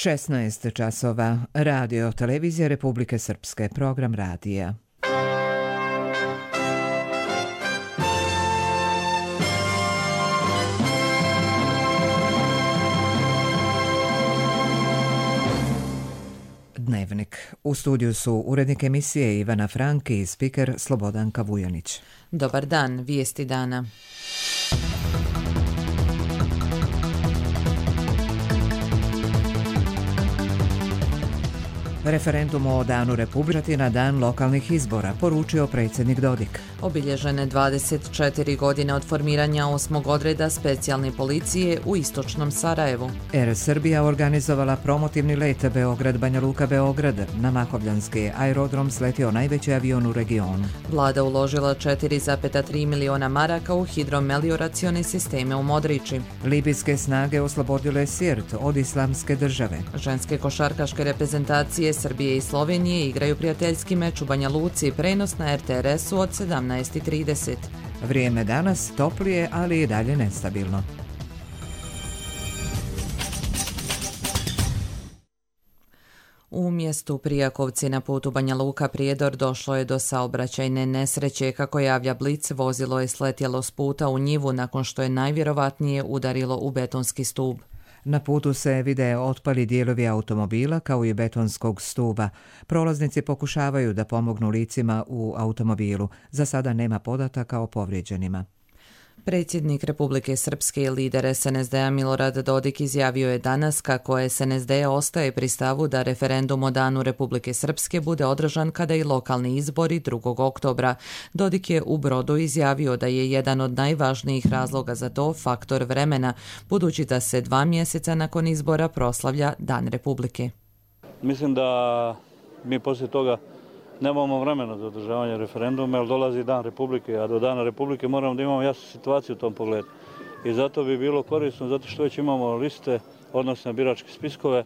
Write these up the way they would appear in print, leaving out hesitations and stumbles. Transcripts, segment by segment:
16 časova. Radio Televizija Republike Srpske. Program radija. Dnevnik. U studiju su urednik emisije Ivana Frank i spiker Slobodanka Vujanić. Dobar dan, vijesti dana. Referendum o Danu Republike na dan lokalnih izbora, poručio predsjednik Dodik. Obilježene 24 godine od formiranja 8. odreda specijalne policije u istočnom Sarajevu. Air Srbija organizovala promotivni let Beograd-Banja Luka-Beograd. Na Mahovljanski aerodrom sletio najveći avion u regionu. Vlada uložila 4,3 miliona maraka u hidromelioracione sisteme u Modriči. Libijske snage oslobodile Sirt od Islamske države. Ženske košarkaške reprezentacije Srbije i Slovenije igraju prijateljski meč u Banja Luci, prenos na RTRS-u od 17:30. Vrijeme danas toplije, ali i dalje nestabilno. U mjestu Prijakovci na putu Banja Luka-Prijedor došlo je do saobraćajne nesreće. Kako javlja Blic, vozilo je sletjelo s puta u njivu nakon što je najvjerovatnije udarilo u betonski stup. Na putu se vide otpali dijelovi automobila kao i betonskog stuba. Prolaznici pokušavaju da pomognu licima u automobilu. Za sada nema podataka o povrijeđenima. Predsjednik Republike Srpske i lider SNSD-a Milorad Dodik izjavio je danas kako SNSD ostaje pri stavu da referendum o Danu Republike Srpske bude održan kada i lokalni izbori 2. oktobra. Dodik je u Brodu izjavio da je jedan od najvažnijih razloga za to faktor vremena, budući da se 2 mjeseca nakon izbora proslavlja Dan Republike. Mislim da mi poslije toga nemamo vremena za održavanje referenduma, jer dolazi Dan Republike, a do Dana Republike moramo da imamo jasnu situaciju u tom pogledu. I zato bi bilo korisno, zato što već imamo liste, odnosno biračke spiskove,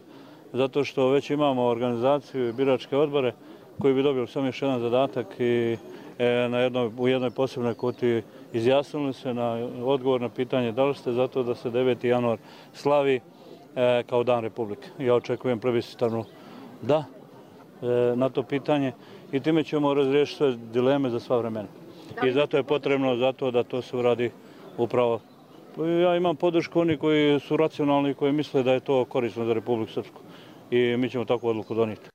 zato što već imamo organizaciju i biračke odbore koji bi dobili samo još jedan zadatak i u jednoj posebnoj kutiji izjasnili se na odgovor na pitanje da li ste zato da se 9. januar slavi kao Dan Republike. Ja očekujem plebiscitarnu da na to pitanje i time ćemo razriješiti sve dileme za sva vremena. I zato je potrebno da to se uradi upravo. Ja imam podršku oni koji su racionalni i koji misle da je to korisno za Republiku Srpsku i mi ćemo takvu odluku donijeti.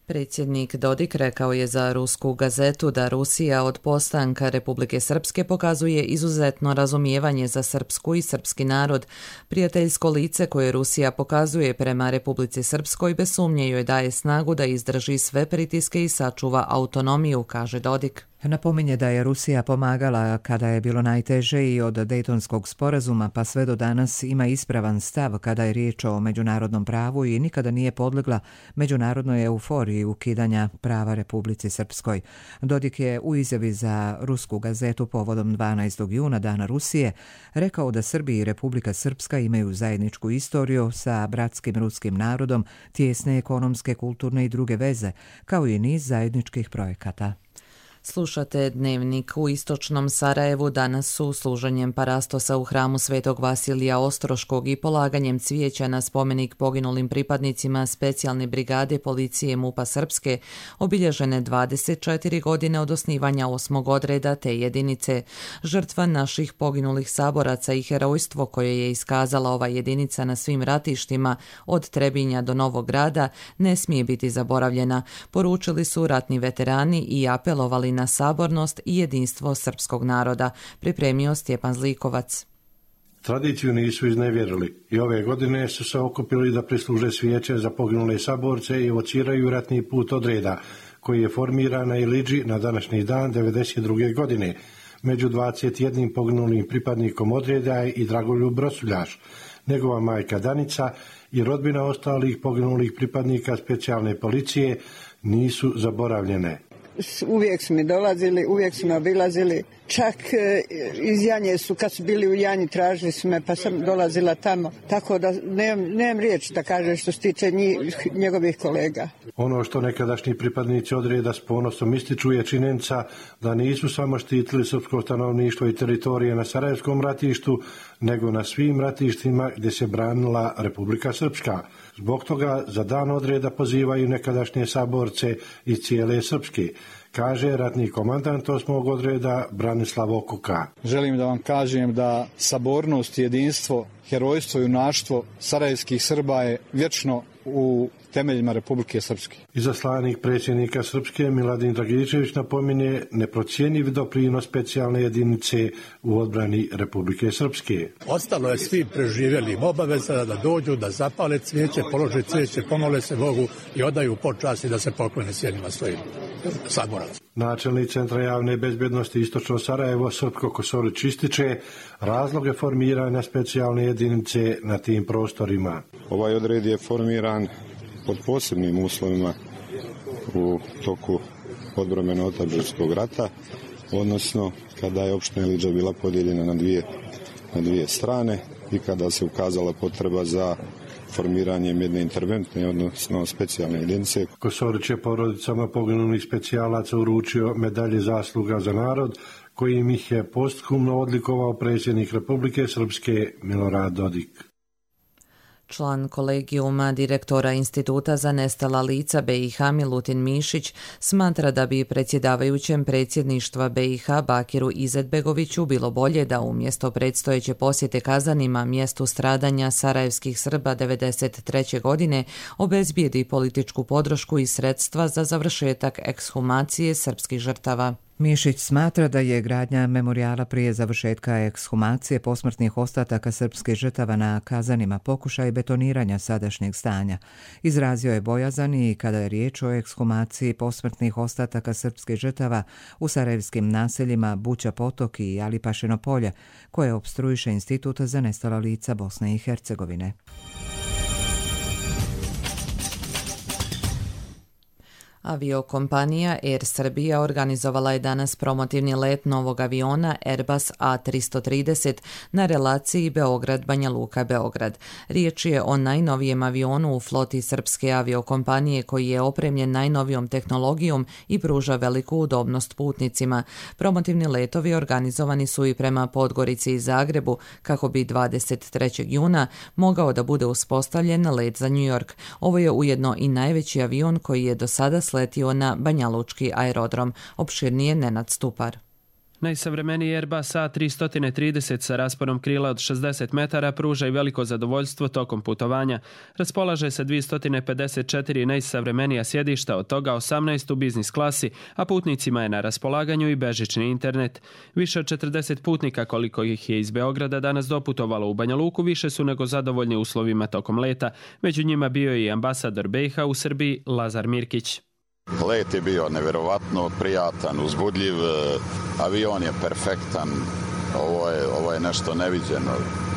Predsjednik Dodik rekao je za rusku gazetu da Rusija od postanka Republike Srpske pokazuje izuzetno razumijevanje za srpsku i srpski narod. Prijateljsko lice koje Rusija pokazuje prema Republici Srpskoj bez sumnje joj daje snagu da izdrži sve pritiske i sačuva autonomiju, kaže Dodik. Napominje da je Rusija pomagala kada je bilo najteže i od Dejtonskog sporazuma pa sve do danas ima ispravan stav kada je riječ o međunarodnom pravu i nikada nije podlegla međunarodnoj euforiji ukidanja prava Republici Srpskoj. Dodik je u izjavi za rusku gazetu povodom 12. juna Dana Rusije rekao da Srbija i Republika Srpska imaju zajedničku istoriju sa bratskim ruskim narodom, tijesne ekonomske, kulturne i druge veze, kao i niz zajedničkih projekata. Slušate Dnevnik. U istočnom Sarajevu danas su služenjem parastosa u hramu Svetog Vasilija Ostroškog i polaganjem cvijeća na spomenik poginulim pripadnicima specijalne brigade policije MUP-a Srpske obilježene 24 godine od osnivanja 8. odreda te jedinice. Žrtva naših poginulih saboraca i herojstvo koje je iskazala ova jedinica na svim ratištima od Trebinja do Novog Grada ne smije biti zaboravljena, poručili su ratni veterani i apelovali na sabornost i jedinstvo srpskog naroda, pripremio Stjepan Zlikovac. Tradiciju nisu iznevjerili i ove godine su se okupili da prisluže svijeće za poginule saborce i evociraju ratni put odreda, koji je formiran na Iliđi na današnji dan 1992. godine. Među 21 poginulim pripadnikom odreda je i Dragoljub Rosuljaš, njegova majka Danica i rodbina ostalih poginulih pripadnika specijalne policije nisu zaboravljene. uvijek su mi dolazili, uvijek su me obilazili. Čak iz Janje su, kad su bili u Janji, tražili su me, pa sam dolazila tamo. Tako da nemam riječi da kažem što se tiče njegovih kolega. Ono što nekadašnji pripadnici odreda s ponosom ističu je činjenica da nisu samo štitili srpsko stanovništvo i teritorije na Sarajevskom ratištu, nego na svim ratištima gdje se branila Republika Srpska. Zbog toga za dan odreda pozivaju nekadašnje saborce iz cijele Srpske, kaže ratni komandant 8. odreda Branislav Okuka. Želim da vam kažem da sabornost, jedinstvo, herojstvo i junaštvo sarajevskih Srba je vječno u temeljima Republike Srpske. Izaslanik predsjednika Srpske Miladin Dragičević napominje neprocjenjiv doprinos specijalne jedinice u odbrani Republike Srpske. Ostalo je svi preživjelim obaveza da dođu, da zapale cvijeće, polože cvijeće, pomole se Bogu i odaju počast i da se poklone sjedima svojim saboraca. Načelnik Centra javne bezbjednosti Istočno Sarajevo Srpko Kosorić ističe razloge formiranja specijalne jedinice na tim prostorima. Ovaj odred je formiran pod posebnim uslovima u toku odbrambeno-otadžbinskog rata, odnosno kada je opština Ilidža bila podijeljena na dvije strane i kada se ukazala potreba za formiranjem jedne interventne, odnosno specijalne jedinice. Kosorić je porodicama poginulih specijalaca uručio medalje zasluga za narod, kojim ih je posthumno odlikovao predsjednik Republike Srpske Milorad Dodik. Član kolegijuma direktora Instituta za nestala lica BiH Milutin Mišić smatra da bi predsjedavajućem predsjedništva BiH Bakiru Izetbegoviću bilo bolje da umjesto predstojeće posjete Kazanima, mjestu stradanja sarajevskih Srba 1993. godine, obezbijedi političku podršku i sredstva za završetak ekshumacije srpskih žrtava. Mišić smatra da je gradnja memorijala prije završetka ekshumacije posmrtnih ostataka srpskih žrtava na Kazanima pokušaj betoniranja sadašnjeg stanja. Izrazio je bojazan i kada je riječ o ekshumaciji posmrtnih ostataka srpskih žrtava u sarajevskim naseljima Buća Potok i Alipašino polje, koje opstruiše Institut za nestala lica Bosne i Hercegovine. Aviokompanija Air Srbija organizovala je danas promotivni let novog aviona Airbus A330 na relaciji Beograd-Banja Luka-Beograd. Riječ je o najnovijem avionu u floti srpske aviokompanije koji je opremljen najnovijom tehnologijom i pruža veliku udobnost putnicima. Promotivni letovi organizovani su i prema Podgorici i Zagrebu kako bi 23. juna mogao da bude uspostavljen let za New York. Ovo je ujedno i najveći avion koji je do sada sletio na Banjalučki aerodrom. Opširnije Nenad Stupar. Najsavremeniji Airbus A330 sa rasponom krila od 60 metara pruža i veliko zadovoljstvo tokom putovanja. Raspolaže se 254 najsavremenija sjedišta, od toga 18 u biznis klasi, a putnicima je na raspolaganju i bežični internet. Više od 40 putnika, koliko ih je iz Beograda danas doputovalo u Banja Luku, više su nego zadovoljni uslovima tokom leta. Među njima bio je i ambasador BiH u Srbiji Lazar Mirkić. Let je bio nevjerovatno prijatan, uzbudljiv, avion je perfektan, ovo je nešto neviđeno,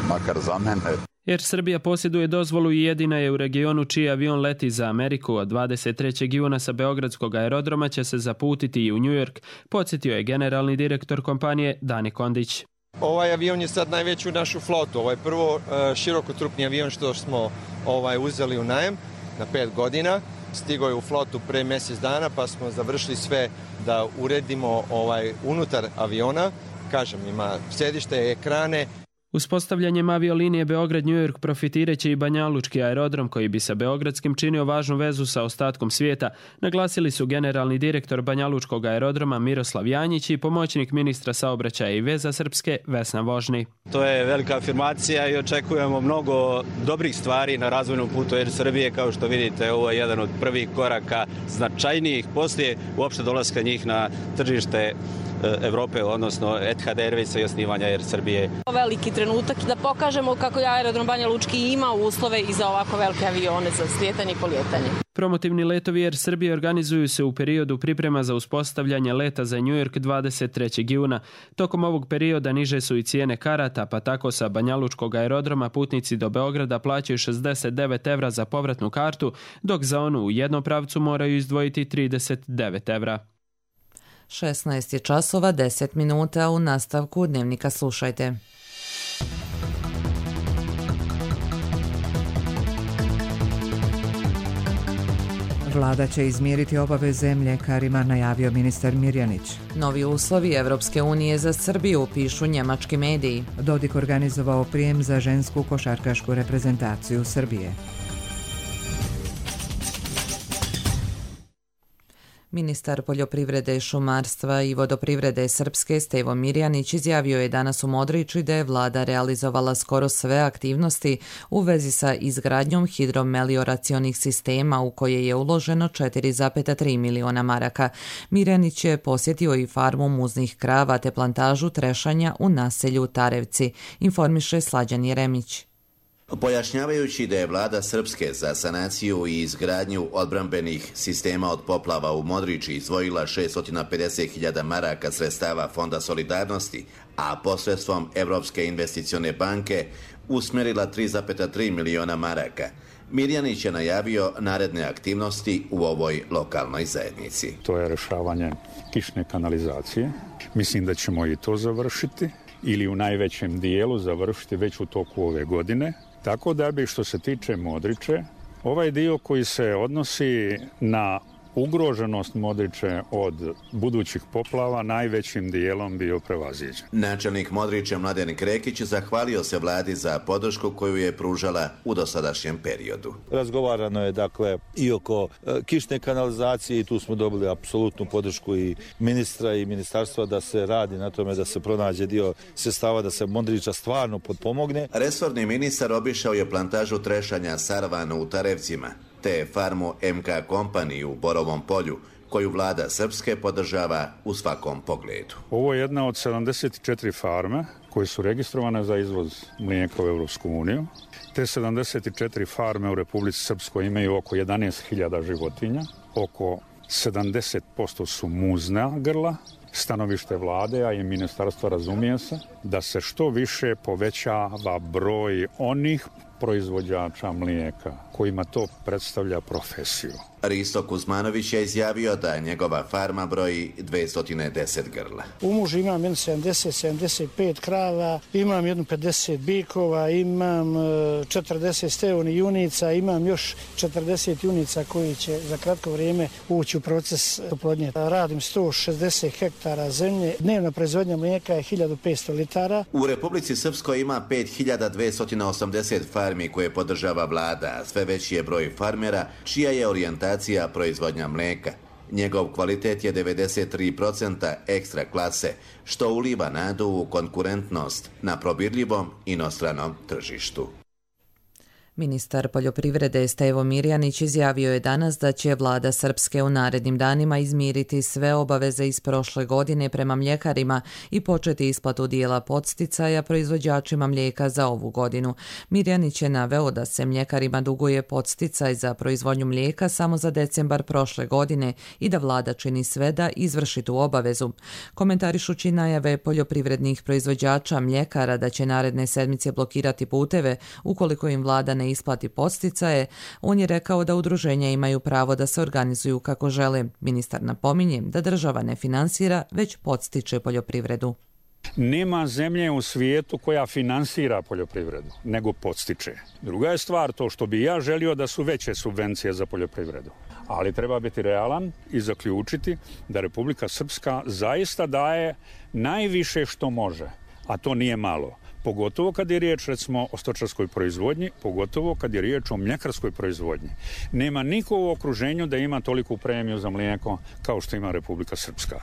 makar za mene. Air Srbija posjeduje dozvolu i jedina je u regionu čiji avion leti za Ameriku. Od 23. juna sa Beogradskog aerodroma će se zaputiti i u New York, podsjetio je generalni direktor kompanije Dani Kondić. Ovaj avion je sad najveći u našu flotu. Ovo je prvo širokotrupni avion što smo uzeli u najem na 5 godina. Stigao je u flotu pre mjesec dana pa smo završili sve da uredimo unutar aviona. Kažem, ima sedište, ekrane. Uspostavljanjem aviolinije Beograd-New York profitireće i Banjalučki aerodrom koji bi sa beogradskim činio važnu vezu sa ostatkom svijeta, naglasili su generalni direktor Banjalučkog aerodroma Miroslav Janjić i pomoćnik ministra saobraćaja i veza Srpske Vesna Vožni. To je velika afirmacija i očekujemo mnogo dobrih stvari na razvojnom putu Air Srbije. Kao što vidite, ovo je jedan od prvih koraka značajnijih poslije uopšte dolaska njih na tržište Evrope, odnosno Etihad Airwaysa i osnivanja Air Srbije. Veliki trenutak da pokažemo kako je aerodrom Banja Lučki ima uslove i za ovako velike avione za slijetanje i polijetanje. Promotivni letovi Air Srbije organizuju se u periodu priprema za uspostavljanje leta za New York 23. juna. Tokom ovog perioda niže su i cijene karata, pa tako sa Banjalučkog aerodroma putnici do Beograda plaćaju 69 evra za povratnu kartu, dok za onu u jednom pravcu moraju izdvojiti 39 evra. 16 je časova 10 minuta, u nastavku dnevnika slušajte. Vlada će izmiriti obaveze mljekarima, najavio ministar Mirjanić. Novi uslovi Evropske unije za Srbiju, pišu njemački mediji. Dodik organizovao prijem za žensku košarkašku reprezentaciju Srbije. Ministar poljoprivrede, šumarstva i vodoprivrede Srpske Stevo Mirjanić izjavio je danas u Modriči da je vlada realizovala skoro sve aktivnosti u vezi sa izgradnjom hidromelioracionih sistema u koje je uloženo 4,3 miliona maraka. Mirjanić je posjetio i farmu muznih krava te plantažu trešanja u naselju Tarevci, informiše Slađan Jeremić. Pojašnjavajući da je vlada Srpske za sanaciju i izgradnju odbrambenih sistema od poplava u Modriči izdvojila 650.000 maraka sredstava Fonda solidarnosti, a posredstvom Evropske investicione banke usmjerila 3,3 miliona maraka. Mirjanić je najavio naredne aktivnosti u ovoj lokalnoj zajednici. To je rešavanje kišne kanalizacije. Mislim da ćemo i to završiti ili u najvećem dijelu završiti već u toku ove godine. Tako da bi, što se tiče Modriče, ovaj dio koji se odnosi na ugroženost Modriče od budućih poplava najvećim dijelom bio prevaziđen. Načelnik Modriče Mladen Krekić zahvalio se vladi za podršku koju je pružala u dosadašnjem periodu. Razgovarano je dakle i oko kišne kanalizacije i tu smo dobili apsolutnu podršku i ministra i ministarstva da se radi na tome da se pronađe dio sredstava da se Modriča stvarno potpomogne. Resorni ministar obišao je plantažu trešanja Sarvanu u Tarevcima te farmu MK Company u Borovom polju, koju vlada Srpske podržava u svakom pogledu. Ovo je jedna od 74 farme koje su registrovane za izvoz mlijeka u Evropsku uniju. Te 74 farme u Republici Srpskoj imaju oko 11.000 životinja, oko 70% su muzna grla. Stanovište vlade, a i ministarstva razumije se, da se što više povećava broj onih proizvođača mlijeka kojima to predstavlja profesiju. Risto Kuzmanović je izjavio da njegova farma broji 210 grla. U mužu imam 70-75 krava, imam 50 bikova, imam 40 steoni junica, imam još 40 junica koji će za kratko vrijeme ući u proces oplodnje. Radim 160 hektara zemlje, dnevna proizvodnja mlijeka je 1500 litara. U Republici Srpskoj ima 5280 farmi koje podržava vlada, a sve veći je broj farmera čija je orijentacija proizvodnja mlijeka. Njegov kvalitet je 93% ekstra klase, što uliva nadu u konkurentnost na probirljivom inostranom tržištu. Ministar poljoprivrede Stevo Mirjanić izjavio je danas da će vlada Srpske u narednim danima izmiriti sve obaveze iz prošle godine prema mljekarima i početi isplatu dijela podsticaja proizvođačima mlijeka za ovu godinu. Mirjanić je naveo da se mljekarima duguje podsticaj za proizvodnju mlijeka samo za decembar prošle godine i da vlada čini sve da izvrši tu obavezu. Komentarišući najave poljoprivrednih proizvođača mljekara da će naredne sedmice blokirati puteve ukoliko im vlada ne isplati podsticaje, on je rekao da udruženja imaju pravo da se organizuju kako žele. Ministar napominje da država ne finansira, već podstiče poljoprivredu. Nema zemlje u svijetu koja finansira poljoprivredu, nego podstiče. Druga je stvar to što bi ja želio da su veće subvencije za poljoprivredu. Ali treba biti realan i zaključiti da Republika Srpska zaista daje najviše što može, a to nije malo. Pogotovo kad je riječ, recimo, o stočarskoj proizvodnji, pogotovo kad je riječ o mljekarskoj proizvodnji. Nema niko u okruženju da ima toliku premiju za mlijeko kao što ima Republika Srpska.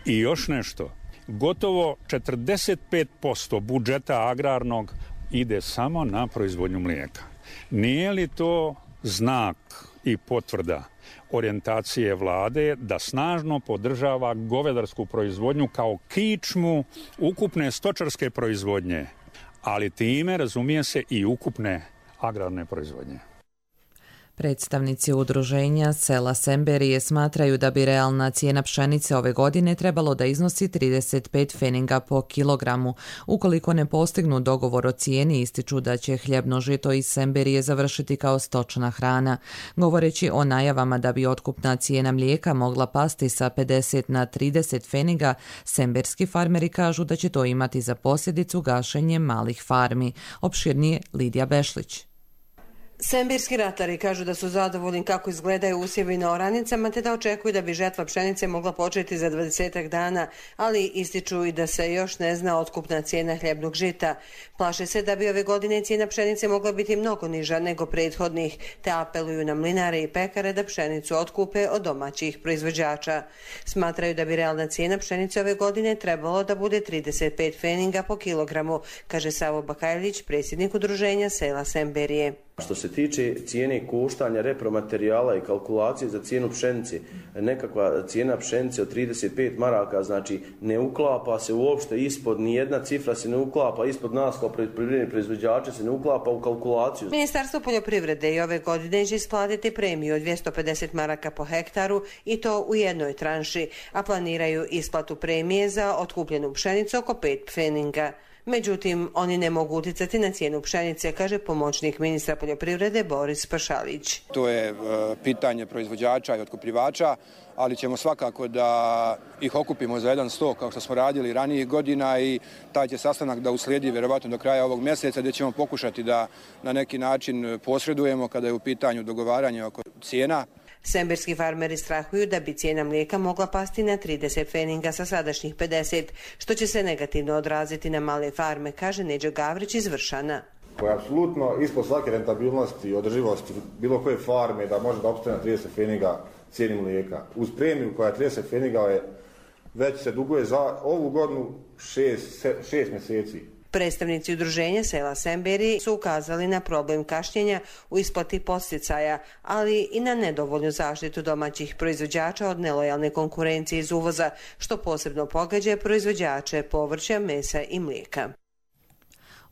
I još nešto, gotovo 45% budžeta agrarnog ide samo na proizvodnju mlijeka. Nije li to znak i potvrda orijentacije vlade da snažno podržava govedarsku proizvodnju kao kičmu ukupne stočarske proizvodnje, ali time razumije se i ukupne agrarne proizvodnje? Predstavnici udruženja sela Semberije smatraju da bi realna cijena pšenice ove godine trebalo da iznosi 35 feninga po kilogramu. Ukoliko ne postignu dogovor o cijeni, ističu da će hljebno žito iz Semberije završiti kao stočna hrana. Govoreći o najavama da bi otkupna cijena mlijeka mogla pasti sa 50 na 30 feninga, semberski farmeri kažu da će to imati za posljedicu gašenje malih farmi. Opširnije Lidija Bešlić. Semberski ratari kažu da su zadovoljni kako izgledaju usjevi na oranicama, te da očekuju da bi žetva pšenice mogla početi za 20 dana, ali ističu i da se još ne zna otkupna cijena hljebnog žita. Plaše se da bi ove godine cijena pšenice mogla biti mnogo niža nego prethodnih, te apeluju na mlinare i pekare da pšenicu otkupe od domaćih proizvođača. Smatraju da bi realna cijena pšenice ove godine trebalo da bude 35 feninga po kilogramu, kaže Savo Bakajlić, predsjednik udruženja sela Semberije. Što se tiče cijene koštanja repromaterijala i kalkulacije za cijenu pšenice, nekakva cijena pšenice od 35 maraka, znači ne uklapa se uopšte ispod, nijedna cifra se ne uklapa ispod nas kao poljoprivredni proizvođači, se ne uklapa u kalkulaciju. Ministarstvo poljoprivrede i ove godine će isplatiti premiju od 250 maraka po hektaru i to u jednoj tranši, a planiraju isplatu premije za otkupljenu pšenicu oko 5 feninga. Međutim, oni ne mogu uticati na cijenu pšenice, kaže pomoćnik ministra poljoprivrede Boris Pašalić. To je pitanje proizvođača i otkupljivača, ali ćemo svakako da ih okupimo za jedan sto kao što smo radili ranijih godina i taj će sastanak da uslijedi vjerovatno do kraja ovog mjeseca gdje ćemo pokušati da na neki način posredujemo kada je u pitanju dogovaranje oko cijena. Semberski farmeri strahuju da bi cijena mlijeka mogla pasti na 30 feninga sa sadašnjih 50, što će se negativno odraziti na male farme, kaže Neđo Gavrić iz Vršana. Koja je apsolutno ispod svake rentabilnosti i održivosti bilo koje farme da može da opstane na 30 feninga cijeni mlijeka. Uz premiju koja je 30 feninga već se duguje za ovu godinu 6 mjeseci. Predstavnici udruženja sela Semberije su ukazali na problem kašnjenja u isplati podsticaja, ali i na nedovoljnu zaštitu domaćih proizvođača od nelojalne konkurencije iz uvoza, što posebno pogađa proizvođače povrća, mesa i mlijeka.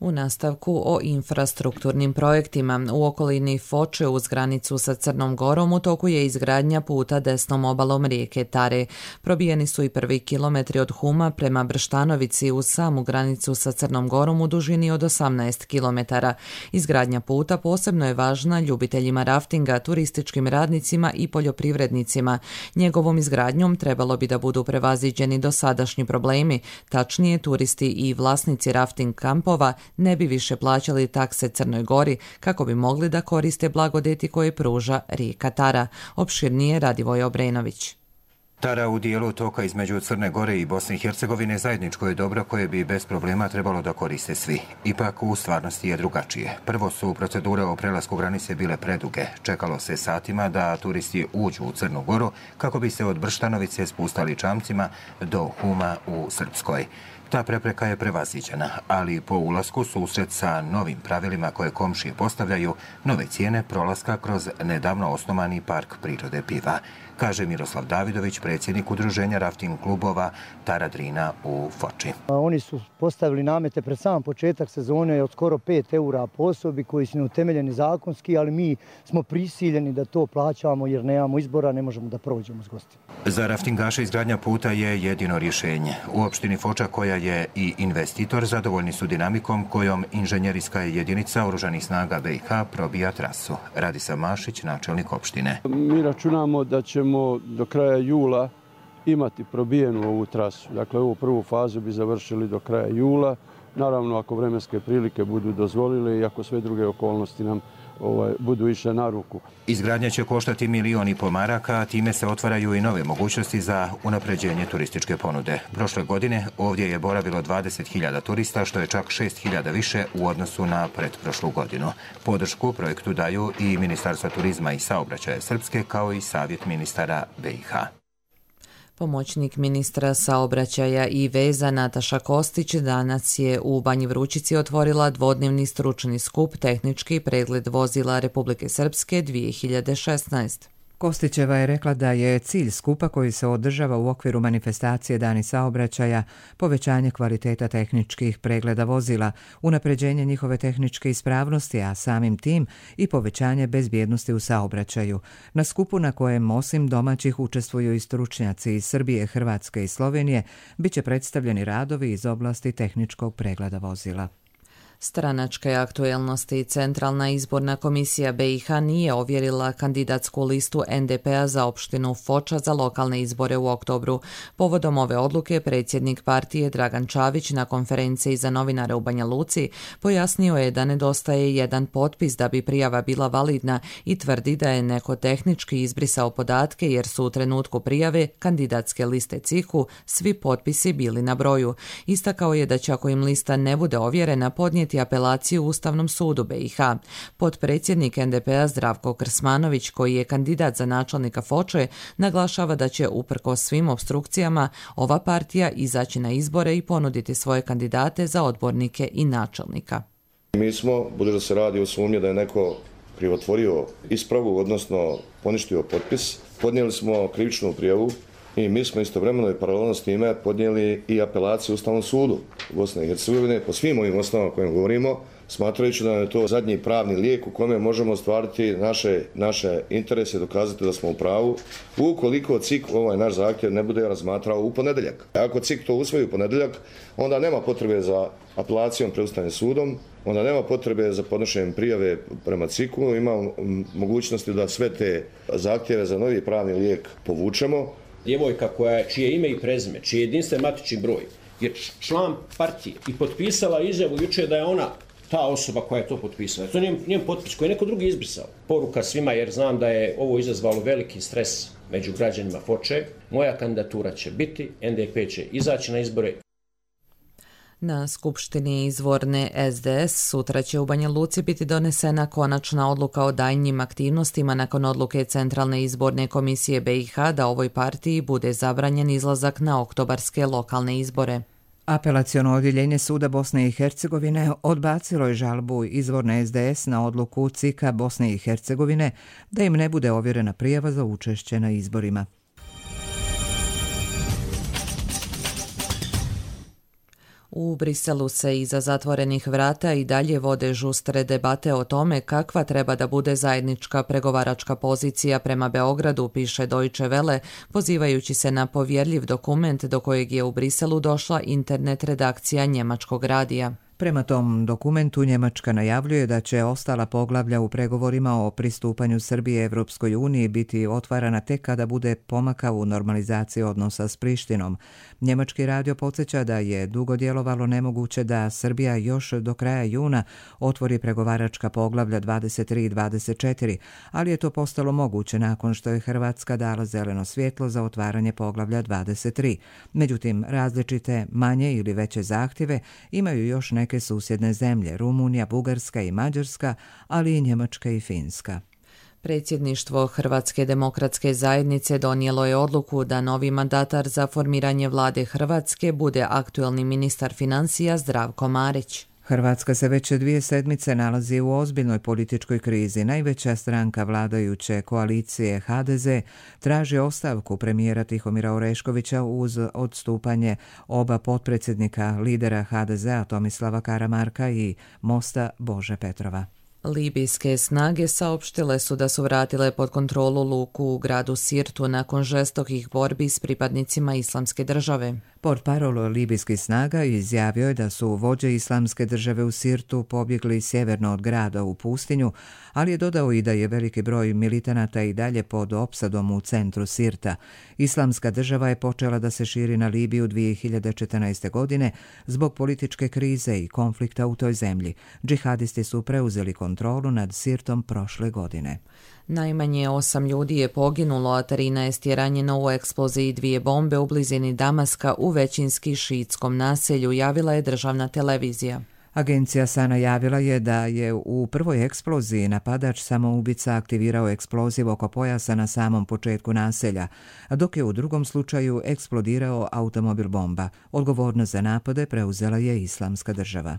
U nastavku o infrastrukturnim projektima. U okolini Foče uz granicu sa Crnom Gorom u toku je izgradnja puta desnom obalom rijeke Tare. Probijeni su i prvi kilometri od Huma prema Brštanovici uz samu granicu sa Crnom Gorom u dužini od 18 kilometara. Izgradnja puta posebno je važna ljubiteljima raftinga, turističkim radnicima i poljoprivrednicima. Njegovom izgradnjom trebalo bi da budu prevaziđeni dosadašnji problemi, tačnije turisti i vlasnici rafting kampova ne bi više plaćali takse Crnoj Gori kako bi mogli da koriste blagodeti koje pruža rijeka Tara. Opširnije Radivoj Obrenović. Tara u dijelu toka između Crne Gore i Bosne i Hercegovine zajedničko je dobro koje bi bez problema trebalo da koriste svi. Ipak u stvarnosti je drugačije. Prvo su procedure o prelasku granice bile preduge. Čekalo se satima da turisti uđu u Crnu Goru kako bi se od Brštanovice spustali čamcima do Huma u Srpskoj. Ta prepreka je prevaziđena, ali po ulasku susret sa novim pravilima koje komšije postavljaju nove cijene prolaska kroz nedavno osnovani park prirode Piva, kaže Miroslav Davidović, predsjednik udruženja rafting klubova Tara Drina u Foči. Oni su postavili namete pred sam početak sezone od skoro 5 eura po osobi koji su neutemeljeni zakonski, ali mi smo prisiljeni da to plaćamo jer nemamo izbora, ne možemo da prođemo s gostima. Za raftingaše izgradnja puta je jedino rješenje. U opštini Foča, koja je i investitor, zadovoljni su dinamikom kojom inženjerijska jedinica Oružanih snaga BiH probija trasu. Radisav Mašić, načelnik opštine. Mi računamo da ćemo do kraja jula imati probijenu ovu trasu. Dakle, ovu prvu fazu bi završili do kraja jula. Naravno, ako vremenske prilike budu dozvolile i ako sve druge okolnosti nam budu išle na ruku. Izgradnja će koštati 1,5 miliona maraka, a time se otvaraju i nove mogućnosti za unapređenje turističke ponude. Prošle godine ovdje je boravilo 20.000 turista, što je čak 6.000 više u odnosu na pretprošlu godinu. Podršku projektu daju i Ministarstva turizma i saobraćaja Srpske, kao i Savjet ministara BiH. Pomoćnik ministra saobraćaja i veza Nataša Kostić danas je u Banji Vrućici otvorila dvodnevni stručni skup Tehnički pregled vozila Republike Srpske 2016. Kostićeva je rekla da je cilj skupa koji se održava u okviru manifestacije Dani saobraćaja povećanje kvaliteta tehničkih pregleda vozila, unapređenje njihove tehničke ispravnosti, a samim tim i povećanje bezbjednosti u saobraćaju. Na skupu na kojem osim domaćih učestvuju i stručnjaci iz Srbije, Hrvatske i Slovenije, biće predstavljeni radovi iz oblasti tehničkog pregleda vozila. Stranačke aktuelnosti. Centralna izborna komisija BiH nije ovjerila kandidatsku listu NDP-a za opštinu Foča za lokalne izbore u oktobru. Povodom ove odluke predsjednik partije Dragan Čavić na konferenciji za novinare u Banja Luci pojasnio je da nedostaje jedan potpis da bi prijava bila validna i tvrdi da je neko tehnički izbrisao podatke jer su u trenutku prijave kandidatske liste CIH-u svi potpisi bili na broju. Istakao je da će ako im lista ne bude ovjerena podnijeti apelaciju Ustavnom sudu BiH. Potpredsjednik NDP-a Zdravko Krsmanović, koji je kandidat za načelnika Foče, naglašava da će uprkos svim opstrukcijama ova partija izaći na izbore i ponuditi svoje kandidate za odbornike i načelnika. Mi smo, budući da se radi o sumnji da je neko krivotvorio ispravu, odnosno poništio potpis, podnijeli smo krivičnu prijavu i mi smo istovremeno i paralelno s time podnijeli i apelaciju Ustavnom sudu Bosne i Hercegovine po svim ovim osnovama o kojim govorimo, smatrajući da je to zadnji pravni lijek u kome možemo ostvariti naše interese i dokazati da smo u pravu, ukoliko CIK ovaj naš zahtjev ne bude razmatrao u ponedjeljak. Ako CIK to usvoji u ponedjeljak, onda nema potrebe za apelacijom pred Ustavnim sudom, onda nema potrebe za podnošenjem prijave prema CIK-u, ima mogućnosti da sve te zahtjeve za novi pravni lijek povučemo. Djevojka čije ime i prezime, čiji je jedinstven matični broj, je član partije i potpisala izjavu jučer da je ona ta osoba koja je to potpisala. To je njen potpis koji je neko drugi izbrisao. Poruka svima, jer znam da je ovo izazvalo veliki stres među građanima Foče. Moja kandidatura će biti, NDP će izaći na izbore. Na skupštini izvorne SDS sutra će u Banja Luci biti donesena konačna odluka o daljnjim aktivnostima nakon odluke Centralne izborne komisije BiH da ovoj partiji bude zabranjen izlazak na oktobarske lokalne izbore. Apelaciono odjeljenje Suda Bosne i Hercegovine odbacilo je žalbu izvorne SDS na odluku CIK-a Bosne i Hercegovine da im ne bude ovjerena prijava za učešće na izborima. U Briselu se iza zatvorenih vrata i dalje vode žustre debate o tome kakva treba da bude zajednička pregovaračka pozicija prema Beogradu, piše Deutsche Welle, pozivajući se na povjerljiv dokument do kojeg je u Briselu došla internet redakcija njemačkog radija. Prema tom dokumentu Njemačka najavljuje da će ostala poglavlja u pregovorima o pristupanju Srbije Evropskoj uniji biti otvarana tek kada bude pomaka u normalizaciji odnosa s Prištinom. Njemački radio podsjeća da je dugo djelovalo nemoguće da Srbija još do kraja juna otvori pregovaračka poglavlja 23 i 24, ali je to postalo moguće nakon što je Hrvatska dala zeleno svjetlo za otvaranje poglavlja 23. Međutim, različite manje ili veće zahtjeve imaju još neke susjedne zemlje, Rumunija, Bugarska i Mađarska, ali i Njemačka i Finska. Predsjedništvo Hrvatske demokratske zajednice donijelo je odluku da novi mandatar za formiranje vlade Hrvatske bude aktuelni ministar financija Zdravko Marić. Hrvatska se već 2 sedmice nalazi u ozbiljnoj političkoj krizi. Najveća stranka vladajuće koalicije HDZ traži ostavku premijera Tihomira Oreškovića uz odstupanje oba potpredsjednika lidera HDZ-a Tomislava Karamarka i Mosta Bože Petrova. Libijske snage saopštile su da su vratile pod kontrolu luku u gradu Sirtu nakon žestokih borbi s pripadnicima Islamske države. Portparol libijskih snaga izjavio je da su vođe Islamske države u Sirtu pobjegli sjeverno od grada u pustinju, ali je dodao i da je veliki broj militanata i dalje pod opsadom u centru Sirta. Islamska država je počela da se širi na Libiju 2014. godine zbog političke krize i konflikta u toj zemlji. Džihadisti su preuzeli kontrolu nad Sirtom prošle godine. Najmanje 8 ljudi je poginulo, a 13 je ranjeno u eksploziji 2 bombe u blizini Damaska u većinski šiitskom naselju, javila je državna televizija. Agencija SANA javila je da je u prvoj eksploziji napadač samoubica aktivirao eksploziv oko pojasa na samom početku naselja, dok je u drugom slučaju eksplodirao automobil bomba. Odgovornost za napade preuzela je Islamska država.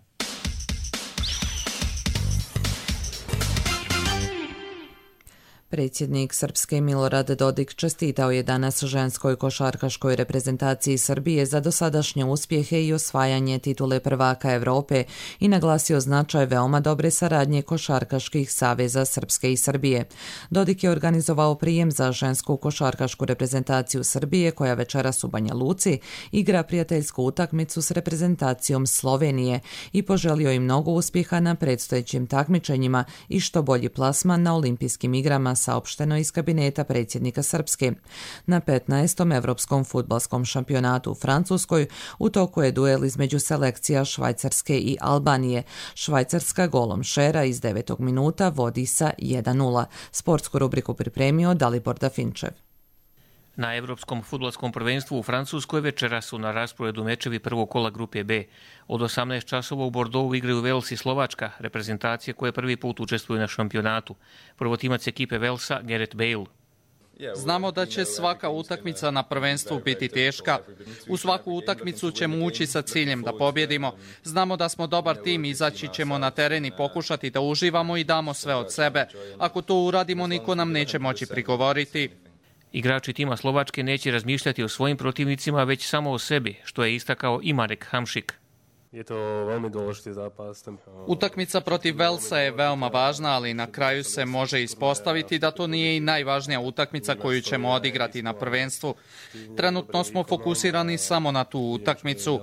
Predsjednik Srpske Milorad Dodik čestitao je danas ženskoj košarkaškoj reprezentaciji Srbije za dosadašnje uspjehe i osvajanje titule prvaka Evrope i naglasio značaj veoma dobre saradnje košarkaških saveza Srpske i Srbije. Dodik je organizovao prijem za žensku košarkašku reprezentaciju Srbije koja večeras u Banja Luci igra prijateljsku utakmicu s reprezentacijom Slovenije i poželio im mnogo uspjeha na predstojećim takmičenjima i što bolji plasman na olimpijskim igrama, saopšteno iz kabineta predsjednika Srpske. Na 15. Evropskom fudbalskom šampionatu u Francuskoj u toku je duel između selekcija Švajcarske i Albanije. Švajcarska golom Šera iz 9. minuta vodi sa 1:0. Sportsku rubriku pripremio Dalibor Dafinčev. Na Evropskom fudbalskom prvenstvu u Francuskoj večera su na rasporedu mečevi prvog kola grupe B. Od 18 časova u Bordeauxu igraju Vels i Slovačka, reprezentacije koje prvi put učestvuju na šampionatu. Prvotimac ekipe Velsa, Gareth Bale. Znamo da će svaka utakmica na prvenstvu biti teška. U svaku utakmicu ćemo ući sa ciljem da pobjedimo. Znamo da smo dobar tim, izaći ćemo na teren i pokušati da uživamo i damo sve od sebe. Ako to uradimo, niko nam neće moći prigovoriti. Igrači tima Slovačke neće razmišljati o svojim protivnicima, već samo o sebi, što je istakao i Marek Hamšik. Utakmica protiv Velsa je veoma važna, ali na kraju se može ispostaviti da to nije i najvažnija utakmica koju ćemo odigrati na prvenstvu. Trenutno smo fokusirani samo na tu utakmicu.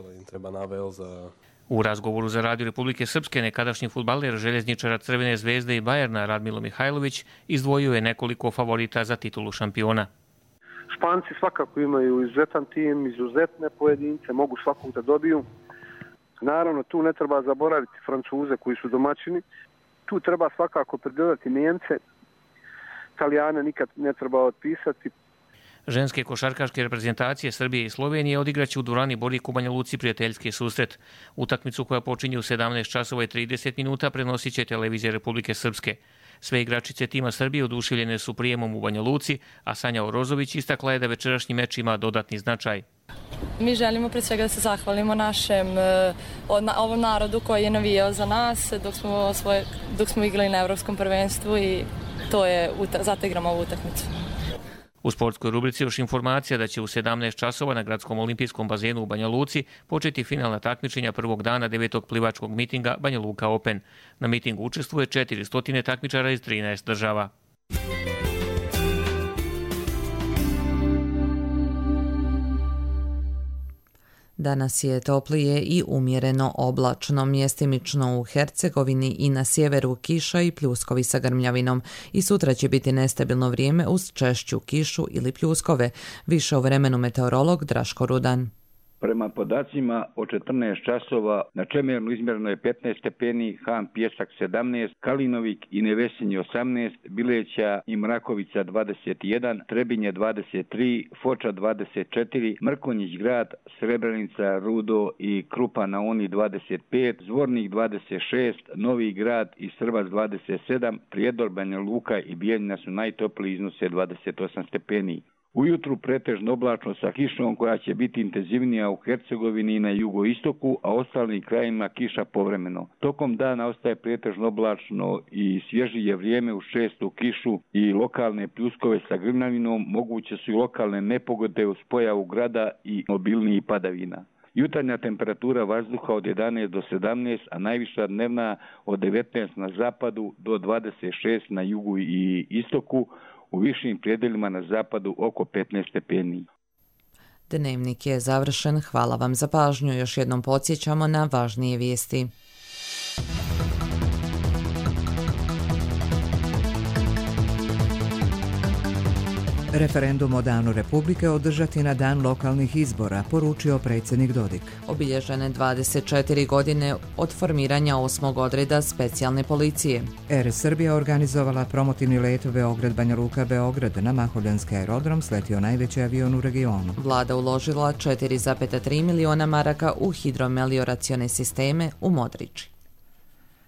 U razgovoru za Radio Republike Srpske nekadašnji fudbaler željezničara Crvene zvezde i Bajerna Radmilo Mihajlović izdvojio je nekoliko favorita za titulu šampiona. Španci svakako imaju izuzetan tim, izuzetne pojedince, mogu svakog da dobiju. Naravno, tu ne treba zaboraviti Francuze koji su domaćini. Tu treba svakako pridodati Nijemce. Italijane nikad ne treba otpisati. Ženske košarkaške reprezentacije Srbije i Slovenije odigraće u dvorani Borik u Banja Luci prijateljski susret. Utakmicu koja počinje u 17 časova i 30 minuta prenosit će televizija Republike Srpske. Sve igračice tima Srbije oduševljene su prijemom u Banja Luci, a Sanja Orozović istakla je da večerašnji meč ima dodatni značaj. Mi želimo pre svega da se zahvalimo ovom narodu koji je navijao za nas dok smo igrali na Evropskom prvenstvu i zato igramo ovu utakmicu. U sportskoj rubrici još informacija da će u 17 časova na Gradskom olimpijskom bazenu u Banja Luci početi finalna takmičenja prvog dana 9. plivačkog mitinga Banja Luka Open. Na mitingu učestvuje 400 takmičara iz 13 država. Danas je toplije i umjereno oblačno, mjestimično u Hercegovini i na sjeveru kiša i pljuskovi sa grmljavinom. I sutra će biti nestabilno vrijeme uz češću kišu ili pljuskove. Više o vremenu meteorolog Draško Rudan. Prema podacima od 14 časova na Čemernu izmjereno je 15 stepeni, Han Pjesak 17, Kalinovik i Nevesinje 18, Bileća i Mrakovica 21, Trebinje 23, Foča 24, Mrkonjić grad, Srebrenica, Rudo i Krupa na Oni 25, Zvornik 26, Novi grad i Srbac 27, Prijedor, Banja Luka i Bijeljina su najtopliji, iznose 28 stepeni. Ujutru pretežno oblačno sa kišom koja će biti intenzivnija u Hercegovini i na jugoistoku, a ostalim krajima kiša povremeno. Tokom dana ostaje pretežno oblačno i svježije vrijeme uz čestu kišu i lokalne pljuskove sa grmljavinom, moguće su i lokalne nepogode uz pojavu grada i obilnijih padavina. Jutarnja temperatura vazduha od 11 do 17, a najviša dnevna od 19 na zapadu do 26 na jugu i istoku, u višim predjelima na zapadu oko 15 stepeni. Dnevnik je završen. Hvala vam za pažnju. Još jednom podsjećamo na važnije vijesti. Referendum o Danu Republike održati na dan lokalnih izbora, poručio predsjednik Dodik. Obilježene 24 godine od formiranja 8. odreda specijalne policije. Air Srbija organizovala promotivni let Beograd-Banja Luka-Beograd. Na Mahovljanski aerodrom sletio najveći avion u regionu. Vlada uložila 4,3 miliona maraka u hidromelioracione sisteme u Modriči.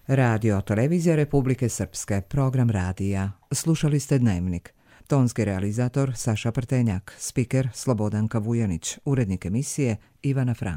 Radio Televizija Republike Srpske, program radija. Slušali ste Dnevnik. Tonski realizator Saša Prtenjak, spiker Slobodanka Vujanić, urednik emisije Ivana Frank.